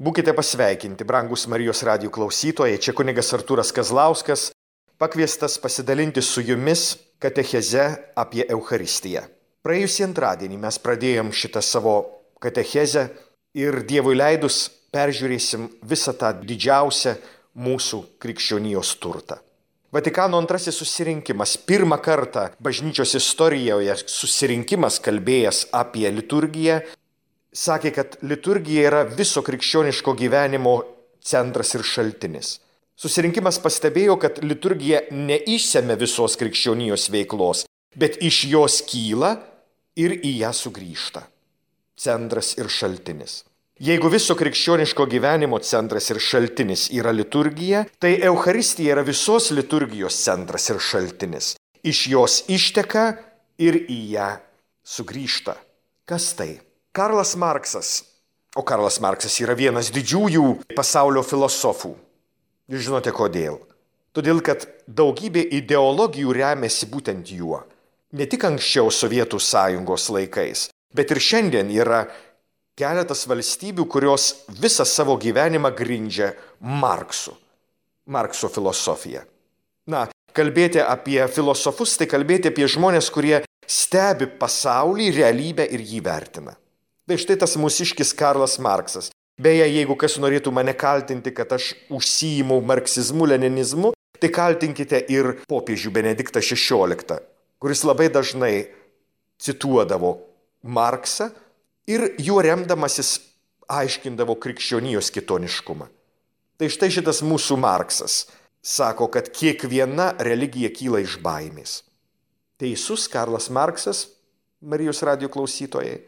Būkite pasveikinti, brangus Marijos radijo klausytojai, čia kunigas Artūras Kazlauskas, pakviestas pasidalinti su jumis katecheze apie Eucharistiją. Praėjusį antradienį mes pradėjom šitą savo katechezę ir Dievui leidus peržiūrėsim visą tą didžiausią mūsų krikščionijos turtą. Vatikano antrasis susirinkimas, pirmą kartą bažnyčios istorijoje susirinkimas kalbėjęs apie liturgiją, sakė, kad liturgija yra viso krikščioniško gyvenimo centras ir šaltinis. Susirinkimas pastebėjo, kad liturgija neišsemia visos krikščionijos veiklos, bet iš jos kyla ir į ją sugrįžta. Centras ir šaltinis. Jeigu viso krikščioniško gyvenimo centras ir šaltinis yra liturgija, tai Eucharistija yra visos liturgijos centras ir šaltinis. Iš jos išteka ir į ją sugrįžta. Kas tai? Karlas Marksas, o Karlas Marksas yra vienas didžiųjų pasaulio filosofų. Jūs žinote kodėl? Todėl, kad daugybė ideologijų remiasi būtent juo. Ne tik anksčiau Sovietų sąjungos laikais, bet ir šiandien yra keletas valstybių, kurios visą savo gyvenimą grindžia Markso filosofiją. Kalbėti apie filosofus, tai kalbėti apie žmonės, kurie stebi pasaulį, realybę ir jį vertina. Tai štai tas mūsiškis Karlas Marksas. Beje, jeigu kas norėtų mane kaltinti, kad aš užsiimu marksizmu, leninizmu, tai kaltinkite ir popiežių Benediktą XVI, kuris labai dažnai cituodavo Marksą ir juo remdamasis aiškindavo krikščionijos kitoniškumą. Tai štai šitas mūsų Marksas sako, kad kiekviena religija kyla iš baimės. Teisus Karlas Marksas, Marijos radijo klausytojai.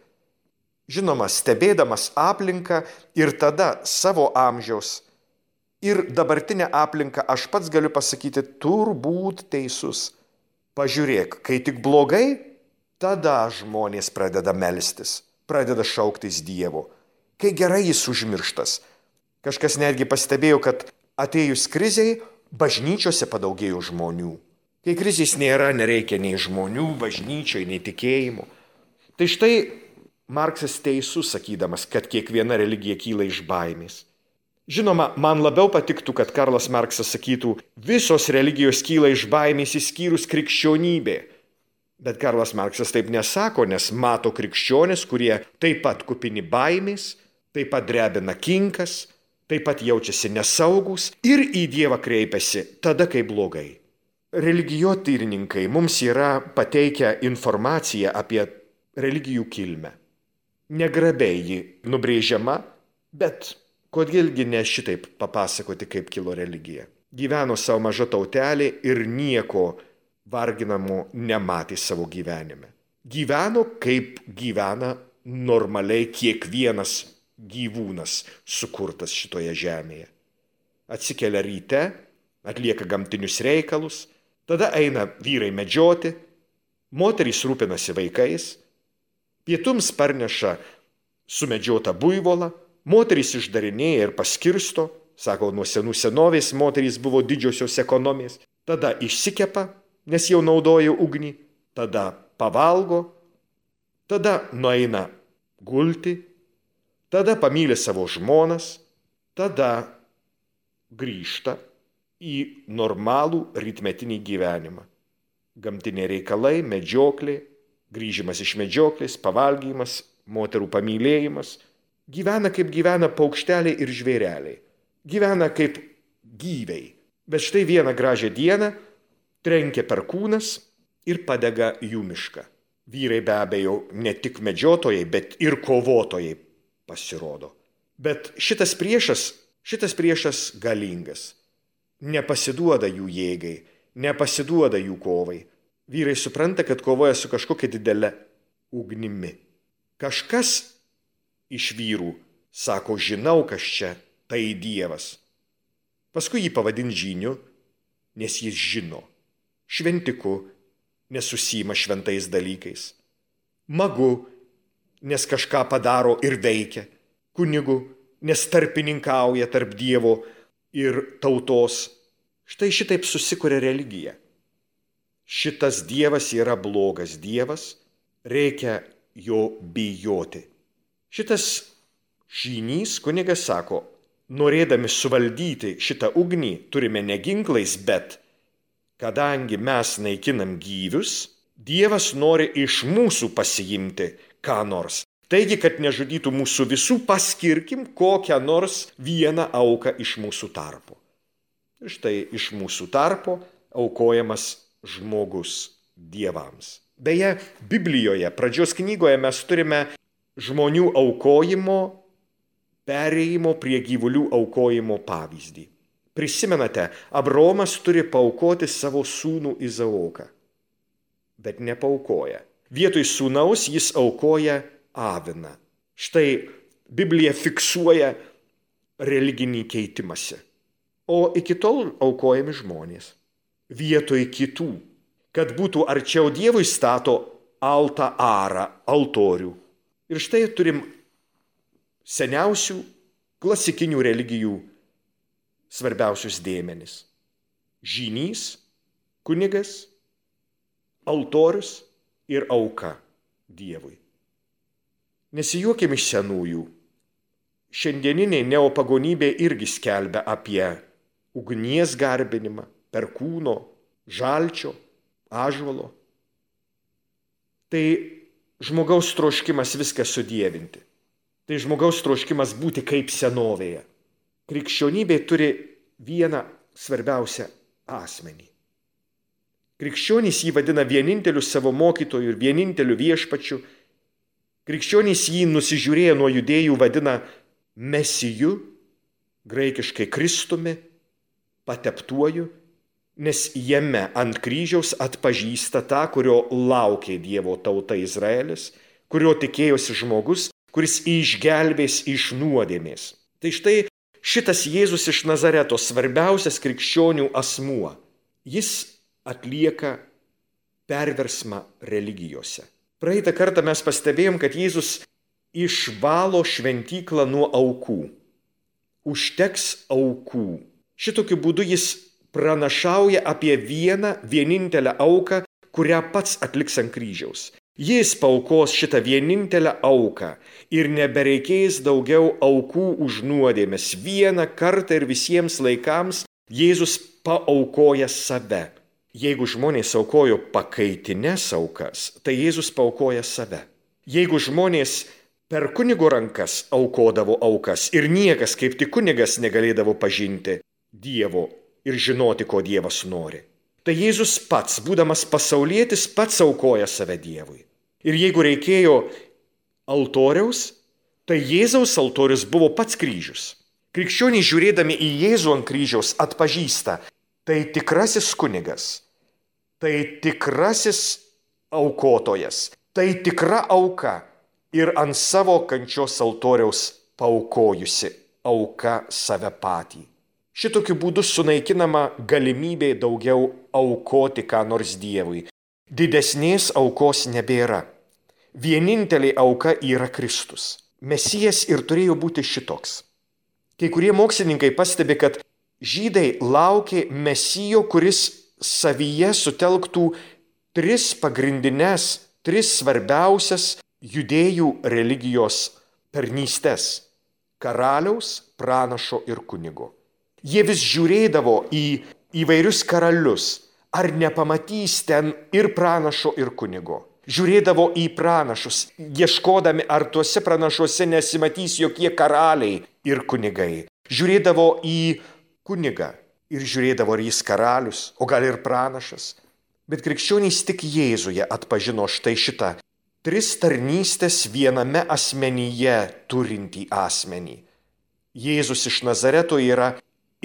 Žinoma, stebėdamas aplinką ir tada savo amžiaus ir dabartinę aplinką, aš pats galiu pasakyti, turbūt teisus. Pažiūrėk, kai tik blogai, tada žmonės pradeda melstis, pradeda šauktis Dievo. Kai gerai jis užmirštas. Kažkas netgi pastebėjo, kad atėjus krizei, bažnyčiose padaugėjo žmonių. Kai krizės nėra, nereikia nei žmonių, bažnyčioj, nei tikėjimų. Tai štai Marksas teisus, sakydamas, kad kiekviena religija kyla iš baimės. Žinoma, man labiau patiktų, kad Karlas Marksas sakytų, visos religijos kyla iš baimės išskyrus krikščionybė. Bet Karlas Marksas taip nesako, nes mato krikščionis, kurie taip pat kupini baimės, taip pat drebina kinkas, taip pat jaučiasi nesaugus ir į Dievą kreipiasi tada, kai blogai. Religijotyrininkai mums yra pateikę informaciją apie religijų kilmę. Negrabiai ji nubrėžiama, bet kodėlgi ne šitaip papasakoti, kaip kilo religija. Gyveno savo maža tautelė ir nieko varginamo nematė savo gyvenime. Gyveno, kaip gyvena normaliai kiekvienas gyvūnas sukurtas šitoje žemėje. Atsikelia ryte, atlieka gamtinius reikalus, tada eina vyrai medžioti, moterys rūpinasi vaikais, pietums parneša sumedžiotą buivolą, moterys išdarinėja ir paskirsto, sako, nuo senų senovės moterys buvo didžiosios ekonomės, tada išsikepa, nes jau naudoja ugnį, tada pavalgo, tada nueina gulti, tada pamyli savo žmonas, tada grįžta į normalų rytmetinį gyvenimą. Gamtiniai reikalai, medžioklė, grįžimas iš medžioklės, pavalgymas, moterų pamylėjimas. Gyvena kaip gyvena paukšteliai ir žvėreliai. Gyvena kaip gyviai. Bet štai vieną gražią dieną trenkia perkūnas ir padega jų mišką. Vyrai be abejo ne tik medžiotojai, bet ir kovotojai pasirodo. Bet šitas priešas galingas. Nepasiduoda jų jėgai, nepasiduoda jų kovai. Vyrai supranta, kad kovoja su kažkokia didelė ugnimi. Kažkas iš vyrų sako, žinau, kas čia, tai Dievas. Paskui jį pavadin žyniu, nes jis žino. Šventiku, nes užsiima šventais dalykais. Magu, nes kažką padaro ir veikia. Kunigu, nes tarpininkauja tarp Dievo ir tautos. Štai šitaip susikuria religija. Šitas Dievas yra blogas Dievas, reikia jo bijoti. Šitas Žynys kunigas sako, norėdami suvaldyti šitą ugnį turime ne ginklais, bet kadangi mes naikinam gyvius, Dievas nori iš mūsų pasiimti ką nors. Taigi, kad nežudytų mūsų visų, paskirkim kokią nors vieną auką iš mūsų tarpo. Ir štai iš mūsų tarpo aukojamas žmogus dievams. Beje, Biblijoje, pradžios knygoje mes turime žmonių aukojimo, perėjimo prie gyvulių aukojimo pavyzdį. Prisimenate, Abraomas turi paaukoti savo sūnų Izaoką, bet nepaaukoja. Vietoj sūnaus jis aukoja aviną. Štai Biblija fiksuoja religinį keitimąsi. O iki tol aukojami žmonės. Vietoj kitų, kad būtų arčiau Dievui, stato altarą, altorių. Ir štai turim seniausių klasikinių religijų svarbiausius dėmenis. Žynys, kunigas, altorius ir auka Dievui. Nesijuokim iš senųjų. Šiandieninė neopagonybė irgi skelbia apie ugnies garbinimą, perkūno, žalčio, ąžuolo. Tai žmogaus troškimas viską sudievinti. Tai žmogaus troškimas būti kaip senovėje. Krikščionybė turi vieną svarbiausią asmenį. Krikščionys jį vadina vieninteliu savo mokytoju ir vieninteliu viešpačiu. Krikščionys jį nusižiūrėję nuo judėjų vadina Mesiju, graikiškai Kristumi, pateptuoju, nes jame ant kryžiaus atpažįsta tą, kurio laukė Dievo tauta Izraelis, kurio tikėjosi žmogus, kuris išgelbės iš nuodėmės. Tai štai šitas Jėzus iš Nazareto, svarbiausias krikščionių asmuo, jis atlieka perversmą religijose. Praeitą kartą mes pastebėjom, kad Jėzus išvalo šventyklą nuo aukų. Užteks aukų. Šitokiu būdu jis pranašauja apie vienintelę auką, kurią pats atliks ant kryžiaus. Jis paaukos šitą vienintelę auką ir nebereikės daugiau aukų už nuodėmes. Vieną kartą ir visiems laikams Jėzus paaukoja save. Jeigu žmonės aukojo pakaitines aukas, tai Jėzus paaukoja save. Jeigu žmonės per kunigo rankas aukodavo aukas ir niekas kaip tik kunigas negalėdavo pažinti Dievo ir žinoti, ko Dievas nori, tai Jėzus pats, būdamas pasaulietis, pats aukoja save Dievui. Ir jeigu reikėjo altoriaus, tai Jėzaus altorius buvo pats kryžius. Krikščionys žiūrėdami į Jėzų ant kryžiaus atpažįsta, tai tikrasis kunigas, tai tikrasis aukotojas, tai tikra auka ir ant savo kančios altoriaus paaukojusi auka save patį. Šitokiu būdu sunaikinama galimybė daugiau aukoti ką nors Dievui. Didesnės aukos nebėra. Vienintelė auka yra Kristus. Mesijas ir turėjo būti šitoks. Kai kurie mokslininkai pastebi, kad žydai laukė Mesijo, kuris savyje sutelktų tris svarbiausias judėjų religijos tarnystes – karaliaus, pranašo ir kunigo. Jie vis žiūrėdavo į įvairius karalius, ar nepamatys ten ir pranašo ir kunigo. Žiūrėdavo į pranašus, ieškodami, ar tuose pranašuose nesimatys jokie karaliai ir kunigai. Žiūrėdavo į kunigą ir žiūrėdavo, ar jis karalius, o gal ir pranašas. Bet krikščionys tik Jėzuje atpažino štai šitą tris tarnystės viename asmenyje turintį asmenį. Jėzus iš Nazareto yra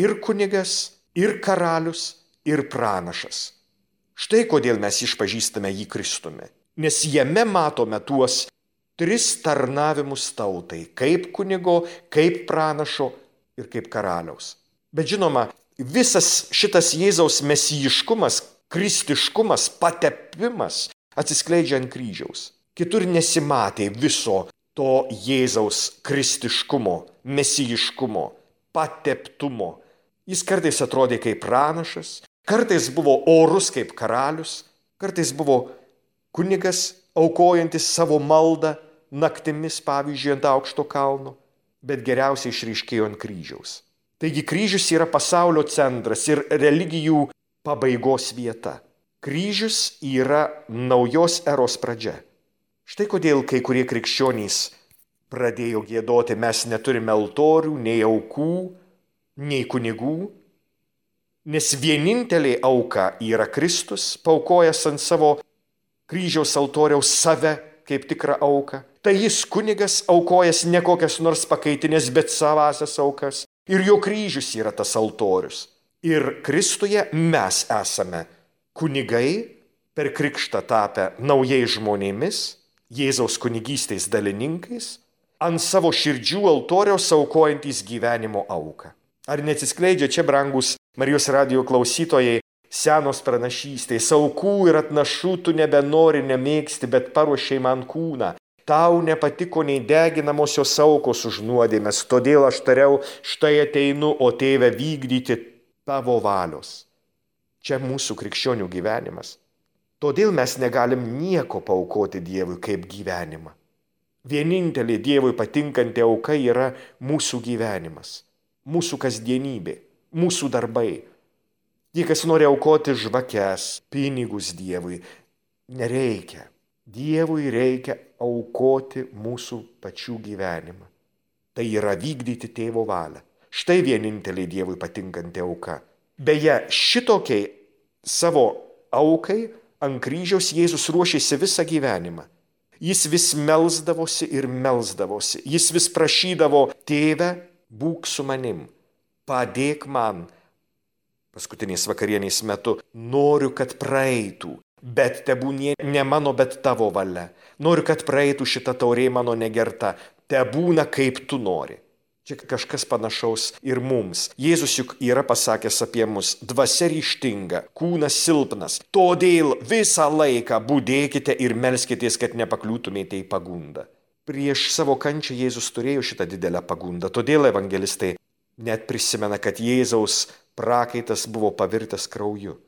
ir kunigas, ir karalius, ir pranašas. Štai kodėl mes išpažįstame jį Kristumi. Nes jame matome tuos tris tarnavimus tautai, kaip kunigo, kaip pranašo ir kaip karaliaus. Bet žinoma, visas šitas Jėzaus mesijiškumas, kristiškumas, patepimas atsiskleidžia ant kryžiaus. Kitur nesimatė viso to Jėzaus kristiškumo, mesijiškumo, pateptumo. Jis kartais atrodė kaip pranašas, kartais buvo orus kaip karalius, kartais buvo kunigas aukojantis savo maldą naktimis, pavyzdžiui, ant aukšto kalno. bet geriausiai išryškėjo ant kryžiaus. Taigi kryžius yra pasaulio centras ir religijų pabaigos vieta. Kryžius yra naujos eros pradžia. Štai kodėl kai kurie krikščionys pradėjo giedoti: mes neturime altorių, nei aukų, nei kunigų, nes vienintelė auka yra Kristus, paaukojęs ant savo kryžiaus altoriaus save kaip tikrą auką. Tai jis kunigas, aukojęs ne kokias nors pakaitinės, bet savasias aukas. Ir jo kryžius yra tas altorius. Ir Kristuje mes esame kunigai, per krikštą tapę naujais žmonėmis, Jėzaus kunigystės dalininkais, ant savo širdžių altoriaus aukojantys gyvenimo auką. Ar neatsiskleidžia čia, brangus Marijos radijo klausytojai, senos pranašystės: aukų ir atnašų tu nebenori, nemėgsti, bet paruošei man kūną. Tau nepatiko nei deginamosios aukos už nuodėmes, todėl aš tariau: štai ateinu, o Tėve, vykdyti tavo valios. Čia mūsų krikščionių gyvenimas. Todėl mes negalim nieko paaukoti Dievui kaip gyvenimą. Vienintelė Dievui patinkanti auka yra mūsų gyvenimas, mūsų kasdienybė, mūsų darbai. Tie, kas nori aukoti žvakes, pinigus Dievui, nereikia. Dievui reikia aukoti mūsų pačių gyvenimą. Tai yra vykdyti Tėvo valią. Štai vienintelė Dievui patinkanti auka. Beje, šitokiai savo aukai ant kryžiaus Jėzus ruošėsi visą gyvenimą. Jis vis melsdavosi ir melsdavosi. Jis vis prašydavo: Tėve, būk su manim, padėk man. Paskutinės vakarienės metu: noriu, kad praeitų, bet tebūnie ne mano, bet tavo valia. Noriu, kad praeitų šita taurė mano negerta, tebūna kaip tu nori. Čia kažkas panašaus ir mums. Jėzus juk yra pasakęs apie mus: dvasia ryžtinga, kūnas silpnas. Todėl visą laiką budėkite ir melskitės, kad nepakliūtumėte į pagundą. Prieš savo kančią Jėzus turėjo šitą didelę pagundą. Todėl evangelistai net prisimena, kad Jėzaus prakaitas buvo pavirtęs krauju.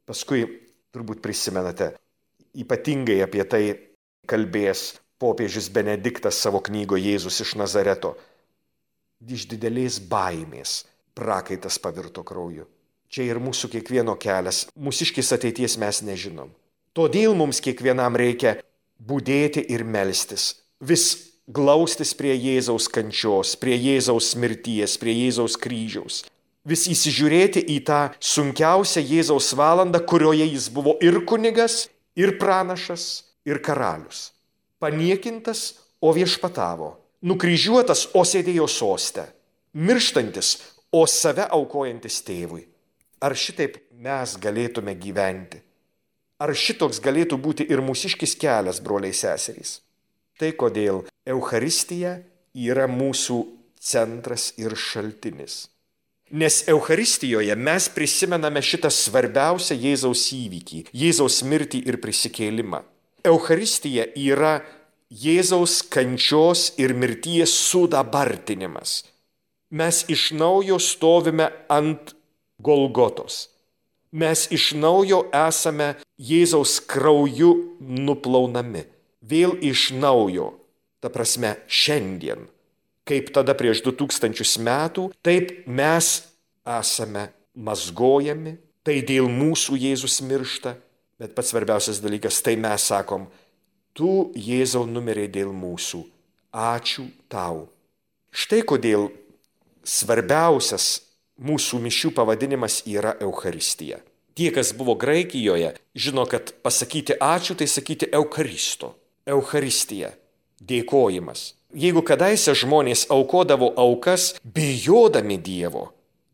Paskui, turbūt prisimenate, ypatingai apie tai kalbės popiežius Benediktas savo knygoje Jėzus iš Nazareto. Iš didelės baimės prakaitas pavirto krauju. Čia ir mūsų kiekvieno kelias. Mūsiškis ateities mes nežinom. Todėl mums kiekvienam reikia budėti ir melstis. Vis glaustis prie Jėzaus kančios, prie Jėzaus mirties, prie Jėzaus kryžiaus. Vis įsižiūrėti į tą sunkiausią Jėzaus valandą, kurioje jis buvo ir kunigas, ir pranašas, ir karalius. Paniekintas, o viešpatavo. Nukryžiuotas, o sėdėjo soste. Mirštantis, o save aukojantis Tėvui. Ar šitaip mes galėtume gyventi? Ar šitoks galėtų būti ir mūsiškis kelias, broliai seserys? Tai kodėl Eucharistija yra mūsų centras ir šaltinis. Nes Eucharistijoje mes prisimename šitą svarbiausią Jėzaus įvykį, Jėzaus mirtį ir prisikėlimą. Eucharistija yra Jėzaus kančios ir mirties sudabartinimas. Mes iš naujo stovime ant Golgotos. Mes iš naujo esame Jėzaus krauju nuplaunami. Vėl iš naujo, ta prasme šiandien. Kaip tada prieš 2000 metų, taip mes esame mazgojami, tai dėl mūsų Jėzus miršta. Bet pats svarbiausias dalykas, tai mes sakom: tu, Jėzau, numirei dėl mūsų. Ačiū tau. Štai kodėl svarbiausias mūsų mišių pavadinimas yra Eucharistija. Tie, kas buvo Graikijoje, žino, kad pasakyti ačiū, tai sakyti Eucharisto. Eucharistija. Dėkojimas. Jeigu kadaise žmonės aukodavo aukas, bijodami Dievo,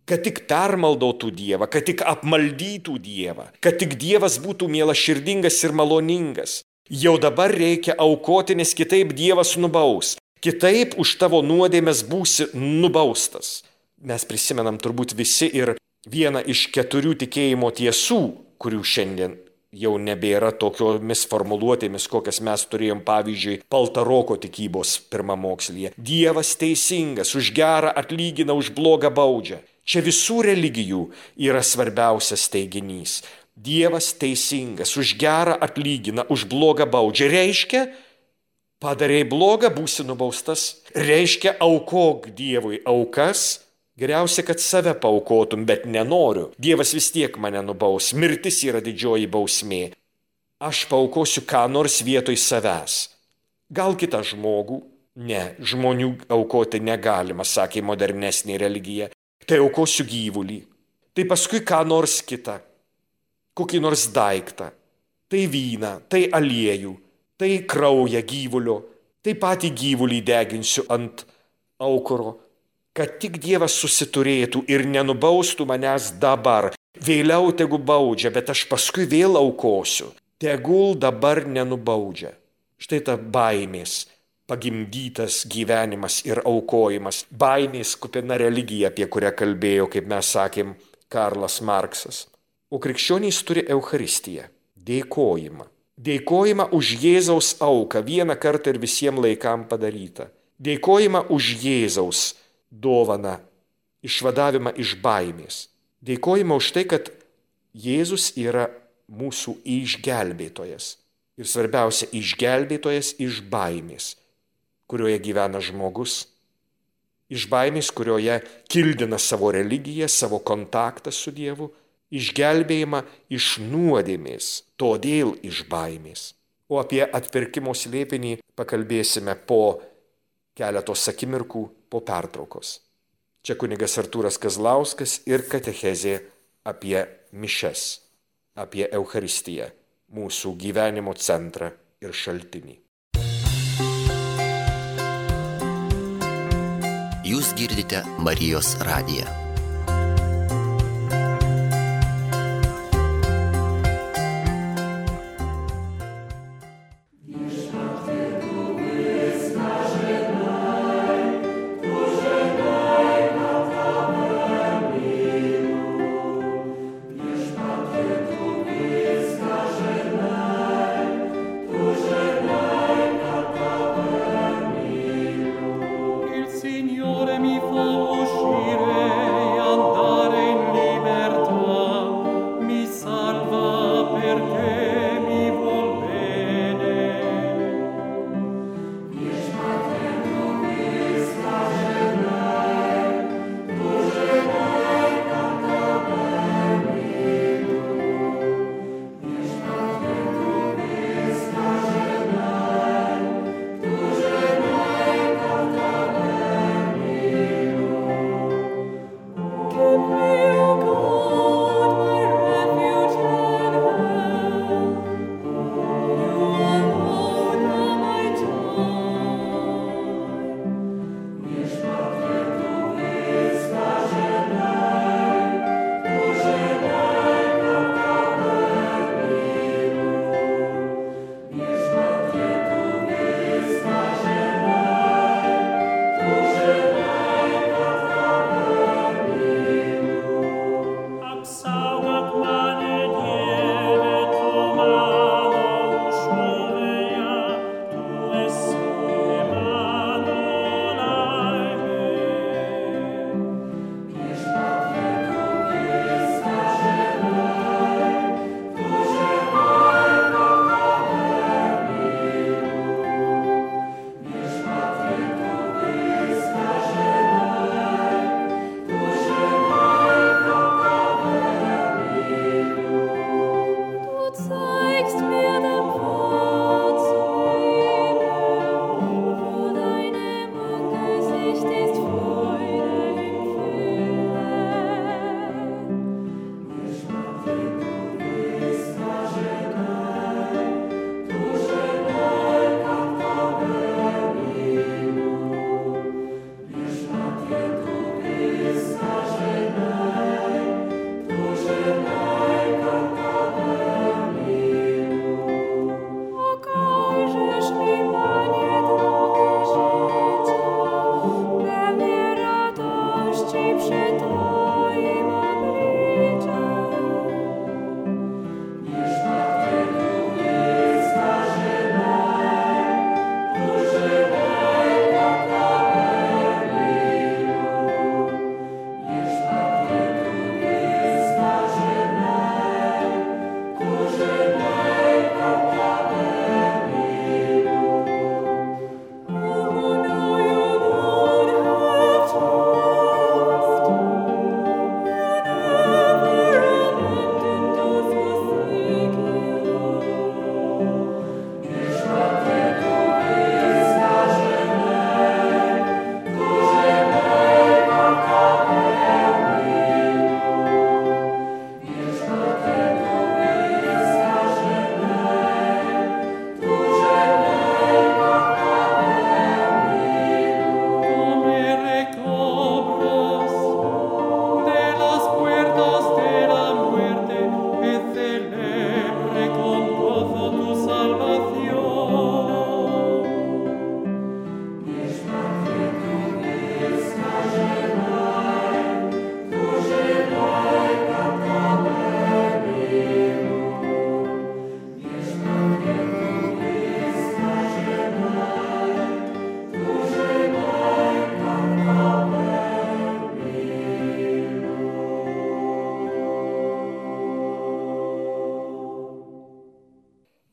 kad tik permaldotų Dievą, kad tik apmaldytų Dievą, kad tik Dievas būtų mielaširdingas ir maloningas, jau dabar reikia aukoti, nes kitaip Dievas nubaus. Kitaip už tavo nuodėmes būsi nubaustas. Mes prisimenam turbūt visi ir vieną iš 4 tikėjimo tiesų, kurių šiandien jau nebėra tokiomis formuluotėmis, kokias mes turėjom, pavyzdžiui, Paltaroko tikybos pirmamokslyje. Dievas teisingas, už gerą atlygina, už blogą baudžia. Čia visų religijų yra svarbiausias teiginys. Dievas teisingas, už gerą atlygina, už blogą baudžia. Reiškia, padarei blogą, būsi nubaustas. Reiškia, aukok Dievui aukas, geriausia, kad save paaukotum, bet nenoriu. Dievas vis tiek mane nubaus, mirtis yra didžioji bausmė. Aš paaukosiu ką nors vietoj savęs. Gal kitą žmogų? Ne, žmonių aukoti negalima, sakė modernesnė religija. Tai aukosiu gyvulį. Tai paskui ką nors kitą. Kokį nors daiktą. Tai vyną, tai aliejų, tai kraują gyvulio. Tai patį gyvulį deginsiu ant aukuro. Kad tik Dievas susiturėtų ir nenubaustų manęs dabar. Vėliau tegu baudžia, bet aš paskui vėl aukosiu. Tegul dabar nenubaudžia. Štai ta baimės pagimdytas gyvenimas ir aukojimas. Baimės kupina religija, apie kurią kalbėjo, kaip mes sakėm, Karlas Marksas. O krikščionys turi Eucharistiją, dėkojimą. Dėkojimą už Jėzaus auką, vieną kartą ir visiems laikam padarytą. Dėkojimą už Jėzaus dovaną, išvadavimą iš baimės. Dėkojimą už tai, kad Jėzus yra mūsų išgelbėtojas. Ir svarbiausia, išgelbėtojas iš baimės, kurioje gyvena žmogus. Iš baimės, kurioje kildina savo religiją, savo kontaktą su Dievu. Išgelbėjimą iš nuodėmės, todėl iš baimės. O apie atpirkimo slėpinį pakalbėsime po keletos akimirkų po pertraukos. Čia kunigas Artūras Kazlauskas ir katechezė apie mišias, apie Eucharistiją, mūsų gyvenimo centrą ir šaltinį. Jūs girdite Marijos radiją.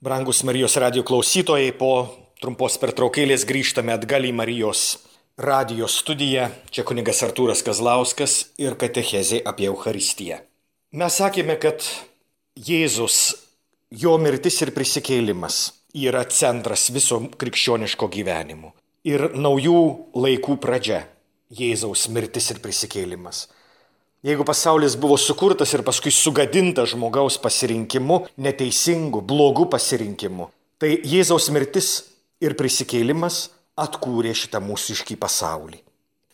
Brangus Marijos radijo klausytojai, po trumpos pertraukėlės grįžtame atgal į Marijos radijo studiją. Čia kunigas Artūras Kazlauskas ir katechezė apie Eucharistiją. Mes sakėme, kad Jėzus, jo mirtis ir prisikėlimas yra centras viso krikščioniško gyvenimo. Ir naujų laikų pradžia - Jėzaus mirtis ir prisikėlimas. Jeigu pasaulis buvo sukurtas ir paskui sugadintas žmogaus pasirinkimu, neteisingu, blogu pasirinkimu, tai Jėzaus mirtis ir prisikėlimas atkūrė šitą mūsiškį pasaulį.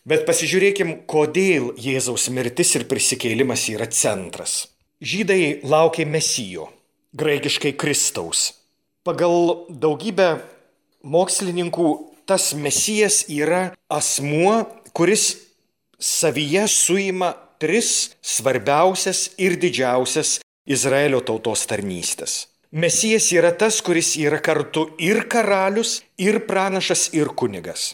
Bet pasižiūrėkim, kodėl Jėzaus mirtis ir prisikėlimas yra centras. Žydai laukė Mesijo, graikiškai Kristaus. Pagal daugybę mokslininkų tas Mesijas yra asmuo, kuris savyje suima tris svarbiausias ir didžiausias Izraelio tautos tarnystės. Mesijas yra tas, kuris yra kartu ir karalius, ir pranašas, ir kunigas.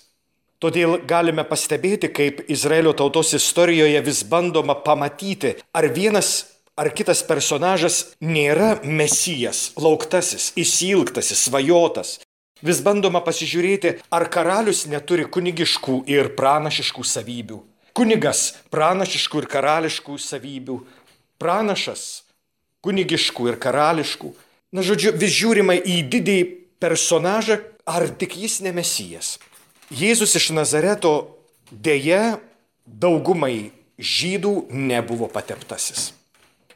Todėl galime pastebėti, kaip Izraelio tautos istorijoje vis bandoma pamatyti, ar vienas ar kitas personažas nėra Mesijas, lauktasis, išsiilgtasis, svajotas. Vis bandoma pasižiūrėti, ar karalius neturi kunigiškų ir pranašiškų savybių. Kunigas pranašiškų ir karališkų savybių. Pranašas kunigiškų ir karališkų. Na, žodžiu, vis žiūrima į didįjį personažą, ar tik jis ne Mesijas. Jėzus iš Nazareto dėja daugumai žydų nebuvo pateptasis.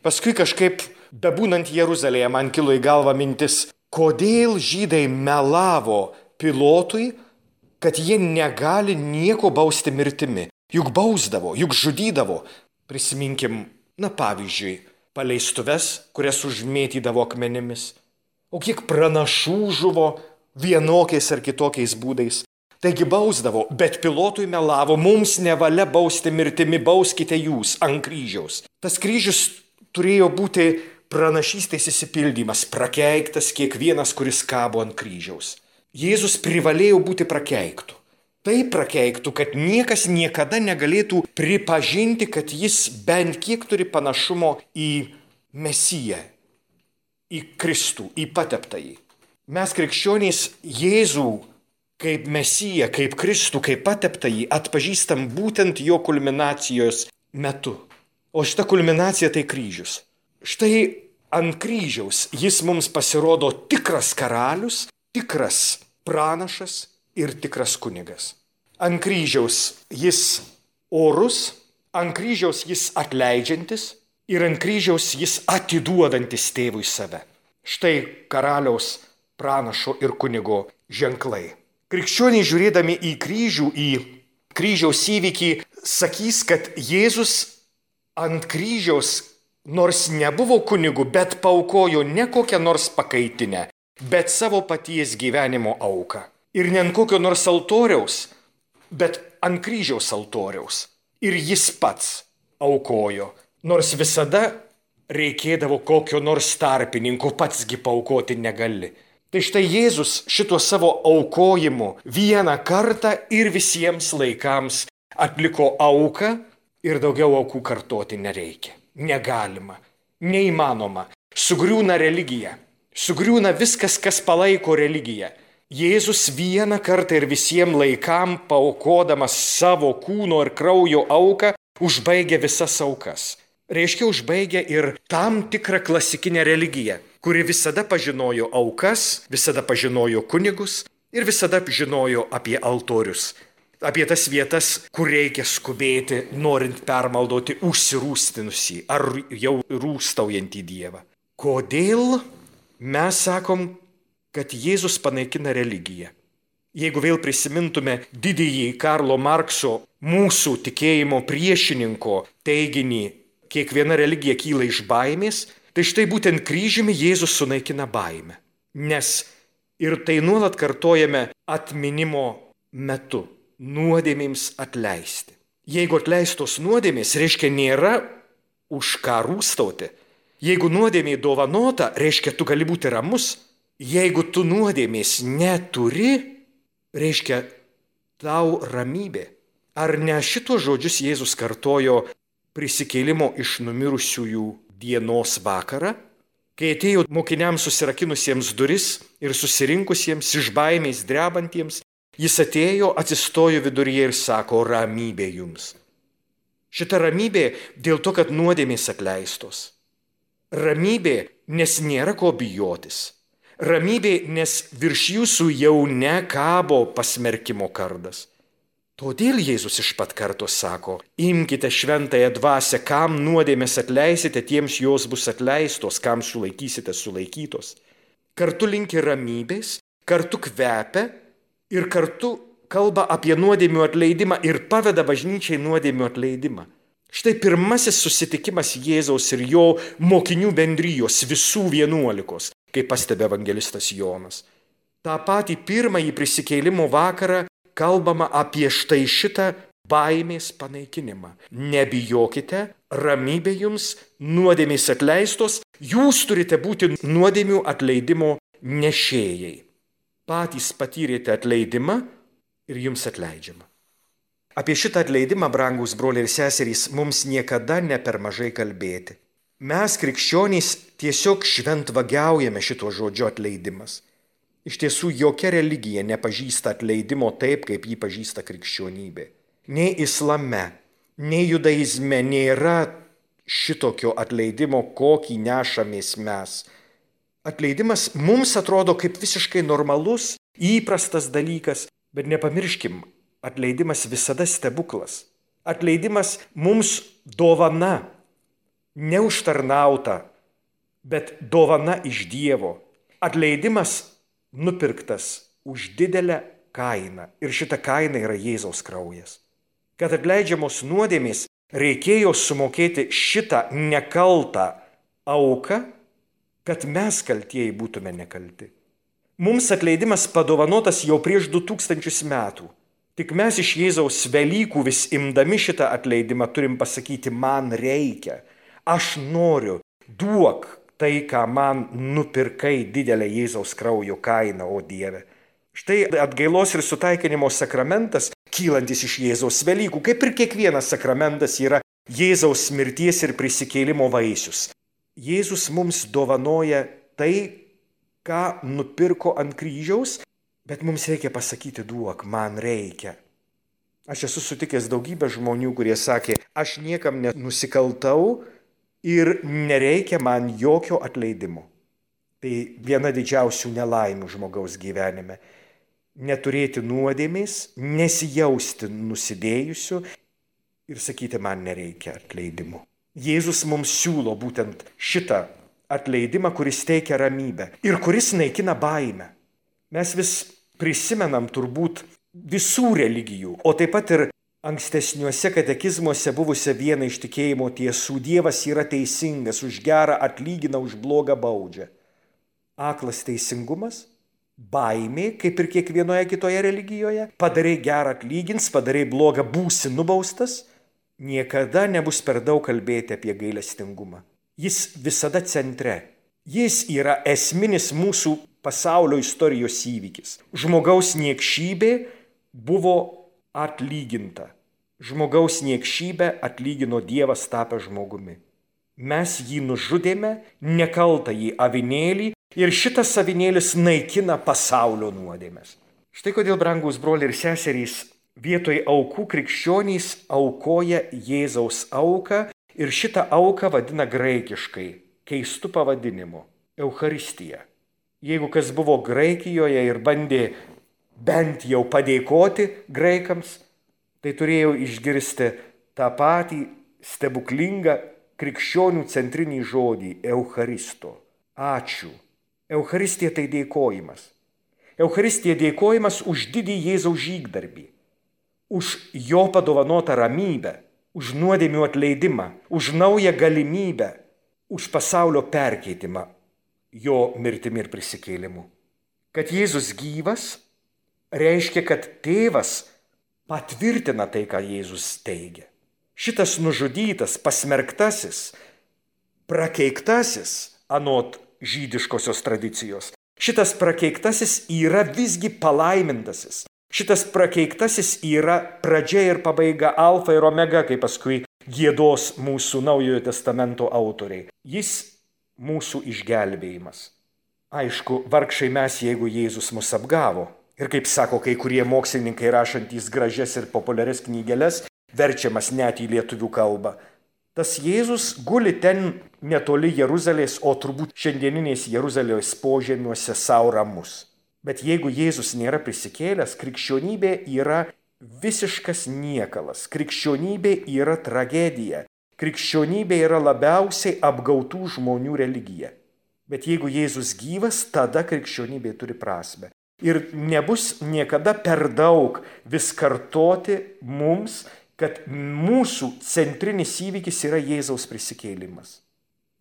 Paskui kažkaip, bebūnant Jeruzalėje, man kilo į galvą mintis, kodėl žydai melavo Pilotui, kad jie negali nieko bausti mirtimi. Juk bausdavo, juk žudydavo. Prisiminkim, pavyzdžiui, paleistuves, kurias užmėtydavo akmenimis. O kiek pranašų žuvo vienokiais ar kitokiais būdais. Taigi bausdavo, bet Pilotui melavo, mums nevalia bausti mirtimi, bauskite jūs ant kryžiaus. Tas kryžius turėjo būti pranašystės įsipildymas, prakeiktas kiekvienas, kuris kabo ant kryžiaus. Jėzus privalėjo būti prakeiktų. Tai prakeiktų, kad niekas niekada negalėtų pripažinti, kad jis bent kiek turi panašumo į Mesiją, į Kristų, į pateptąjį. Mes krikščionys Jėzų kaip Mesiją, kaip Kristų, kaip pateptąjį atpažįstam būtent jo kulminacijos metu. O šita kulminacija tai kryžius. Štai ant kryžiaus jis mums pasirodo tikras karalius, tikras pranašas ir tikras kunigas. Ant kryžiaus jis orus, ant kryžiaus jis atleidžiantis ir ant kryžiaus jis atiduodantis tėvui save. Štai karaliaus, pranašo ir kunigo ženklai. Krikščioniai žiūrėdami į kryžių, į kryžiaus įvykį, sakys, kad Jėzus ant kryžiaus nors nebuvo kunigu, bet paaukojo ne kokią nors pakaitinę, bet savo paties gyvenimo auką. Ir ne ant kokio nors altoriaus, bet ant kryžiaus altoriaus. Ir jis pats aukojo, nors visada reikėdavo kokio nors tarpininko, patsgi paaukoti negali. Tai štai Jėzus šituo savo aukojimu vieną kartą ir visiems laikams atliko auką ir daugiau aukų kartoti nereikia. Negalima, neįmanoma. Sugriūna religija. Sugriūna viskas, kas palaiko religiją. Jėzus vieną kartą ir visiems laikam paaukodamas savo kūno ir kraujo auką užbaigia visas aukas. Reiškia, užbaigia ir tam tikrą klasikinę religiją, kuri visada pažinojo aukas, visada pažinojo kunigus ir visada žinojo apie altorius. Apie tas vietas, kur reikia skubėti, norint permaldoti užsirūstinusį ar jau rūstaujantį Dievą. Kodėl mes sakom, kad Jėzus panaikina religiją? Jeigu vėl prisimintume didįjį Karlo Markso, mūsų tikėjimo priešininko teiginį, kiekviena religija kyla iš baimės, tai štai būtent kryžiumi Jėzus sunaikina baimę. Nes ir tai nuolat kartojame atminimo metu. Nuodėmėms atleisti. Jeigu atleistos nuodėmės, reiškia nėra už ką rūstauti. Jeigu nuodėmė dovanota, reiškia tu gali būti ramus. Jeigu tu nuodėmės neturi, reiškia tau ramybė. Ar ne šitos žodžius Jėzus kartojo prisikėlimo iš numirusiųjų dienos vakarą? Kai atėjo mokiniams susirakinusiems duris ir susirinkusiems iš baimės drebantiems, jis atėjo, atsistojo viduryje ir sako, ramybė jums. Šita ramybė dėl to, kad nuodėmės atleistos. Ramybė, nes nėra ko bijotis. Ramybė, nes virš jūsų jau nekabo pasmerkimo kardas. Todėl Jėzus iš pat karto sako, imkite šventąją dvasią, kam nuodėmės atleisite, tiems jos bus atleistos, kam sulaikysite sulaikytos. Kartu linki ramybės, kartu kvepia ir kartu kalba apie nuodėmių atleidimą ir paveda bažnyčiai nuodėmių atleidimą. Štai pirmasis susitikimas Jėzaus ir jo mokinių bendrijos, visų 11, kaip pastebi evangelistas Jonas. Ta patį pirmąjį prisikėlimo vakarą kalbama apie štai šitą baimės panaikinimą. Nebijokite, ramybė jums, nuodėmės atleistos, jūs turite būti nuodėmių atleidimo nešėjai. Patys patyrėte atleidimą ir jums atleidžiama. Apie šitą atleidimą, brangūs broliai ir seserys, mums niekada ne per mažai kalbėti. Mes, krikščionys, tiesiog šventvagiaujame šito žodžio atleidimas. Iš tiesų, jokia religija nepažįsta atleidimo taip, kaip jį pažįsta krikščionybė. Nei islame, nei judaizme nėra šitokio atleidimo, kokį nešamės mes. Atleidimas mums atrodo kaip visiškai normalus, įprastas dalykas, bet nepamirškim, atleidimas visada stebuklas. Atleidimas mums dovana, neužtarnauta, bet dovana iš Dievo. Atleidimas nupirktas už didelę kainą. Ir šita kaina yra Jėzaus kraujas. Kad atleidžiamos nuodėmės reikėjo sumokėti šitą nekaltą auką, kad mes kaltieji būtume nekalti. Mums atleidimas padovanotas jau prieš 2000 metų. Tik mes iš Jėzaus Velykų vis imdami šitą atleidimą turim pasakyti, man reikia, aš noriu, duok tai, ką man nupirkai didelę Jėzaus kraujo kainą, o Dieve. Štai atgailos ir sutaikinimo sakramentas, kylantis iš Jėzaus Velykų, kaip ir kiekvienas sakramentas, yra Jėzaus mirties ir prisikėlimo vaisius. Jėzus mums dovanoja tai, ką nupirko ant kryžiaus, bet mums reikia pasakyti, duok, man reikia. Aš esu sutikęs daugybę žmonių, kurie sakė, aš niekam nenusikaltau ir nereikia man jokio atleidimo. Tai viena didžiausių nelaimių žmogaus gyvenime. Neturėti nuodėmės, nesijausti nusidėjusiu ir sakyti, man nereikia atleidimo. Jėzus mums siūlo būtent šitą atleidimą, kuris teikia ramybę ir kuris naikina baimę. Mes vis prisimenam turbūt visų religijų, o taip pat ir ankstesniuose katekizmuose buvusią vieną iš tikėjimo tiesų. Dievas yra teisingas, už gerą atlygina, už blogą baudžia. Aklas teisingumas, baimė, kaip ir kiekvienoje kitoje religijoje, padarai gerą atlygins, padarai blogą būsi nubaustas, niekada nebus per daug kalbėti apie gailestingumą. Jis visada centre. Jis yra esminis mūsų pasaulio istorijos įvykis. Žmogaus niekšybė buvo atlyginta. Žmogaus niekšybę atlygino Dievas tapęs žmogumi. Mes jį nužudėme, nekaltąjį avinėlį, ir šitas avinėlis naikina pasaulio nuodėmes. Štai kodėl, brangūs broliai ir seserys, vietoj aukų krikščionys aukoja Jėzaus auką ir šitą auką vadina graikiškai, keistu pavadinimu – Eucharistija. Jeigu kas buvo Graikijoje ir bandė bent jau padėkoti graikams, tai turėjo išgirsti tą patį stebuklingą krikščionių centrinį žodį – Eucharisto. Ačiū. Eucharistija tai dėkojimas. Eucharistija dėkojimas už didį Jėzaus žygdarbį, už jo padovanotą ramybę, už nuodėmių atleidimą, už naują galimybę, už pasaulio perkeitimą jo mirtimi ir prisikėlimu. Kad Jėzus gyvas reiškia, kad tėvas patvirtina tai, ką Jėzus teigia. Šitas nužudytas, pasmerktasis, prakeiktasis anot žydiškosios tradicijos, šitas prakeiktasis yra visgi palaimintasis. Šitas prakeiktasis yra pradžia ir pabaiga, alfa ir omega, kaip paskui giedos mūsų Naujojo testamento autoriai. Jis mūsų išgelbėjimas. Aišku, vargšai mes, jeigu Jėzus mus apgavo. Ir kaip sako kai kurie mokslininkai rašantys gražias ir populiarias knygeles, verčiamas net į lietuvių kalbą. Tas Jėzus guli ten netoli Jeruzalės, o turbūt šiandieninės Jeruzalės požemiuose sau ramus. Bet jeigu Jėzus nėra prisikėlęs, krikščionybė yra visiškas niekalas. Krikščionybė yra tragedija. Krikščionybė yra labiausiai apgautų žmonių religija. Bet jeigu Jėzus gyvas, tada krikščionybė turi prasmę. Ir nebus niekada per daug vis kartoti mums, kad mūsų centrinis įvykis yra Jėzaus prisikėlimas.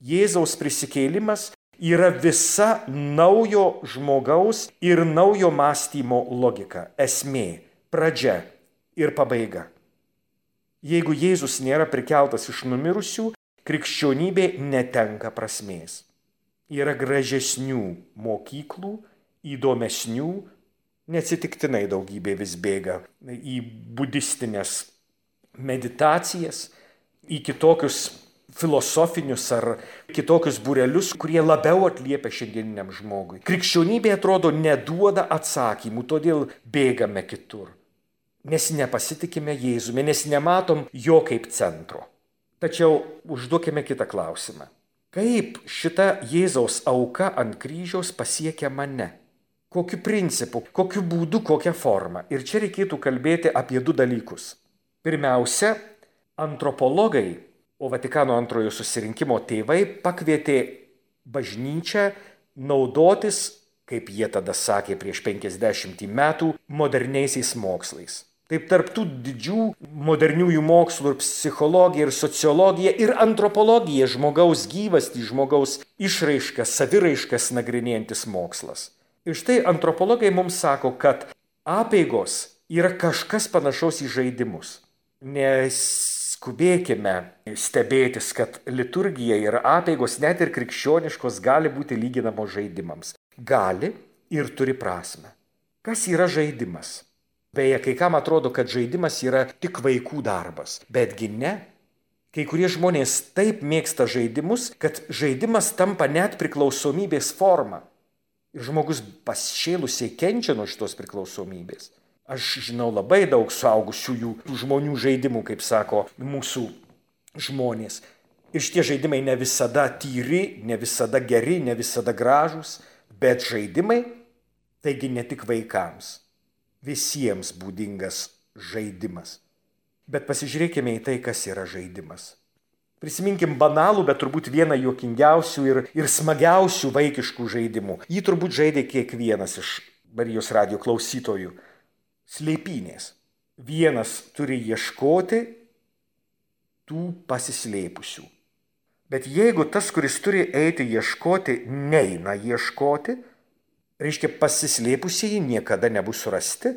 Jėzaus prisikėlimas yra visa naujo žmogaus ir naujo mąstymo logika, esmė, pradžia ir pabaiga. Jeigu Jėzus nėra prikeltas iš numirusių, krikščionybė netenka prasmės. Yra gražesnių mokyklų, įdomesnių, neatsitiktinai daugybė vis bėga į budistinės meditacijas, į kitokius filosofinius ar kitokius būrelius, kurie labiau atliepia šiandieniniam žmogui. Krikščionybė atrodo neduoda atsakymų, todėl bėgame kitur. Nes nepasitikime Jėzumi, nes nematom jo kaip centro. Tačiau užduokime kitą klausimą. Kaip šita Jėzaus auka ant kryžiaus pasiekia mane? Kokiu principu, kokiu būdu, kokia forma? Ir čia reikėtų kalbėti apie du dalykus. Pirmiausia, antropologai, o Vatikano antrojo susirinkimo tėvai pakvietė bažnyčią naudotis, kaip jie tada sakė prieš 50 metų, moderniaisiais mokslais. Taip tarptų didžių moderniųjų mokslų ir psichologija, ir sociologija, ir antropologija, žmogaus gyvastį, žmogaus išraiškas, saviraiškas nagrinėjantis mokslas. Ir štai antropologai mums sako, kad apeigos yra kažkas panašaus į žaidimus. Neskubėkime stebėtis, kad liturgija ir apeigos, net ir krikščioniškos, gali būti lyginamos žaidimams. Gali ir turi prasmę. Kas yra žaidimas? Beje, kai kam atrodo, kad žaidimas yra tik vaikų darbas, betgi ne. Kai kurie žmonės taip mėgsta žaidimus, kad žaidimas tampa net priklausomybės forma. Ir žmogus pašėlusiai kenčia nuo šitos priklausomybės. Aš žinau labai daug suaugusiųjų žmonių žaidimų, kaip sako mūsų žmonės. Ir šitie žaidimai ne visada tyri, ne visada geri, ne visada gražūs, bet žaidimai, taigi ne tik vaikams. Visiems būdingas žaidimas. Bet pasižiūrėkime į tai, kas yra žaidimas. Prisiminkim banalų, bet turbūt vieną juokingiausių ir smagiausių vaikiškų žaidimų. Jį turbūt žaidė kiekvienas iš Marijos radijo klausytojų. Slėpynės. Vienas turi ieškoti tų pasislėpusių. Bet jeigu tas, kuris turi eiti ieškoti, neina ieškoti, reiškia, pasislėpusieji niekada nebus surasti,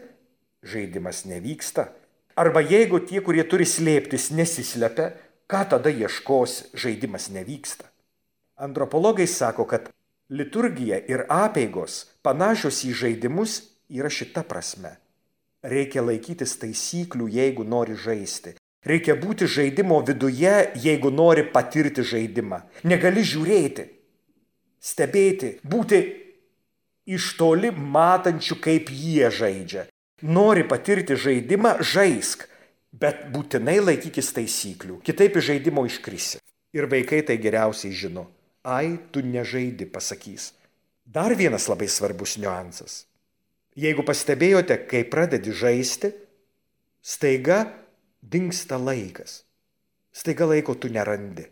žaidimas nevyksta. Arba jeigu tie, kurie turi slėptis, nesislepia, ką tada ieškos, žaidimas nevyksta. Antropologai sako, kad liturgija ir apeigos panašios į žaidimus yra šita prasme. Reikia laikytis taisyklių, jeigu nori žaisti. Reikia būti žaidimo viduje, jeigu nori patirti žaidimą. Negali žiūrėti, stebėti, būti iš toli matančių, kaip jie žaidžia. Nori patirti žaidimą, žaisk, bet būtinai laikykis taisyklių, kitaip iš žaidimo iškrisi. Ir vaikai tai geriausiai žino. Ai, tu nežaidi, pasakys. Dar vienas labai svarbus niuansas. Jeigu pastebėjote, kai pradedi žaisti, staiga dingsta laikas. Staiga laiko tu nerandi.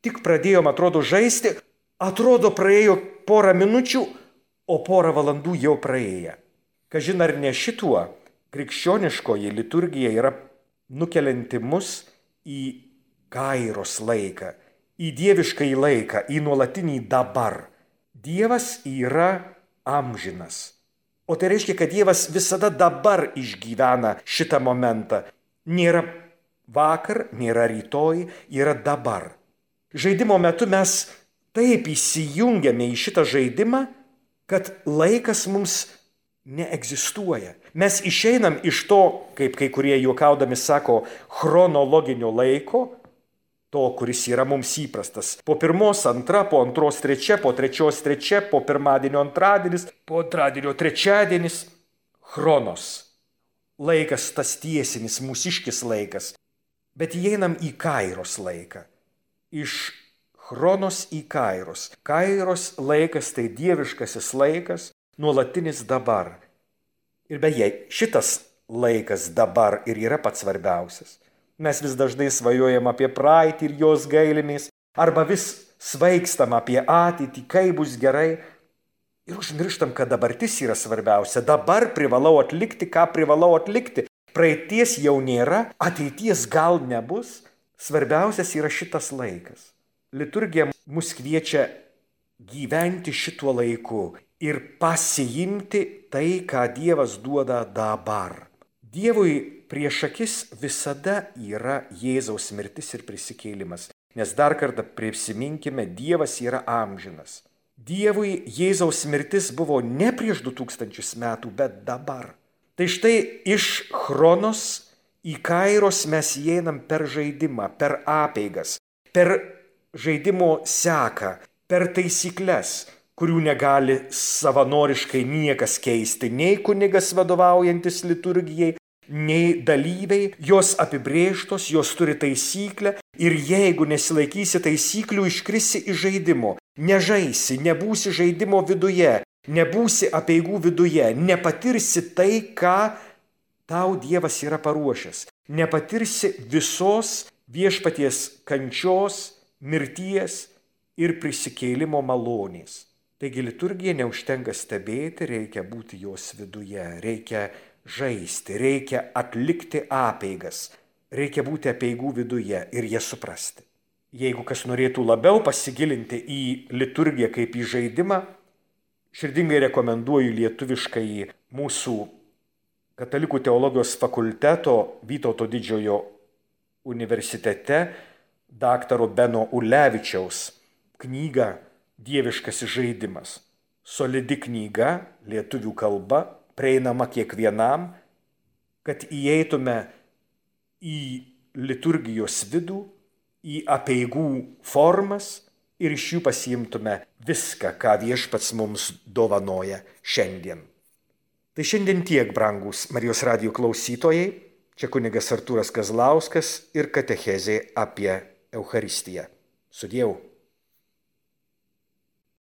Tik pradėjom, atrodo, žaisti, atrodo, praėjo porą minučių, o porą valandų jau praėję. Kažin ar ne šituo, krikščioniškoji liturgija yra nukelianti mus į kairos laiką, į dieviškąjį laiką, į nuolatinį dabar. Dievas yra amžinas. O tai reiškia, kad Dievas visada dabar išgyvena šitą momentą. Nėra vakar, nėra rytoj, yra dabar. Žaidimo metu mes taip įsijungiame į šitą žaidimą, kad laikas mums neegzistuoja. Mes išeinam iš to, kaip kai kurie juokaudami sako, chronologinio laiko, to, kuris yra mums įprastas. Po pirmos antra, po antros trečia, po trečios trečia, po pirmadienio antradienis, po antradienio trečiadienis. Chronos. Laikas tas tiesinis, mūsiškis laikas. Bet įeinam į kairos laiką. Iš chronos į kairos. Kairos laikas tai dieviškasis laikas, nuolatinis dabar. Ir beje, šitas laikas dabar ir yra pats svarbiausias. Mes vis dažnai svajojam apie praeitį ir jos gailimės, arba vis svaigstam apie ateitį, kaip bus gerai. Ir užmirštam, kad dabartis yra svarbiausia. Dabar privalau atlikti, ką privalau atlikti. Praeities jau nėra, ateities gal nebus. Svarbiausias yra šitas laikas. Liturgija mus kviečia gyventi šituo laiku ir pasiimti tai, ką Dievas duoda dabar. Dievui prieš akis visada yra Jėzaus mirtis ir prisikėlimas. Nes dar kartą prisiminkime, Dievas yra amžinas. Dievui Jėzaus mirtis buvo ne prieš 2000 metų, bet dabar. Tai štai iš chronos į kairos mes įeinam per žaidimą, per apeigas, per žaidimo seką, per taisyklės, kurių negali savanoriškai niekas keisti, nei kunigas vadovaujantis liturgijai, nei dalyviai. Jos apibrėžtos, jos turi taisyklę ir jeigu nesilaikysi taisyklių, iškrisi iš žaidimo. Nežaisi, nebūsi žaidimo viduje, nebūsi apeigų viduje, nepatirsi tai, ką tau Dievas yra paruošęs. Nepatirsi visos viešpaties kančios, mirties ir prisikėlimo malonės. Taigi liturgija neužtenka stebėti, reikia būti jos viduje, reikia žaisti, reikia atlikti apeigas, reikia būti apeigų viduje ir jas suprasti. Jeigu kas norėtų labiau pasigilinti į liturgiją kaip į žaidimą, širdingai rekomenduoju lietuviškai mūsų Katalikų teologijos fakulteto Vytauto Didžiojo universitete daktaro Beno Ulevičiaus knygą Dieviškasis žaidimas. Solidi knyga, lietuvių kalba, prieinama kiekvienam, kad įeitume į liturgijos vidų, į apeigų formas ir iš jų pasiimtume viską, ką Viešpats mums dovanoja šiandien. Tai šiandien tiek, brangūs Marijos radijo klausytojai. Čia kunigas Artūras Kazlauskas ir katechezė apie Eucharistiją. Sudieu.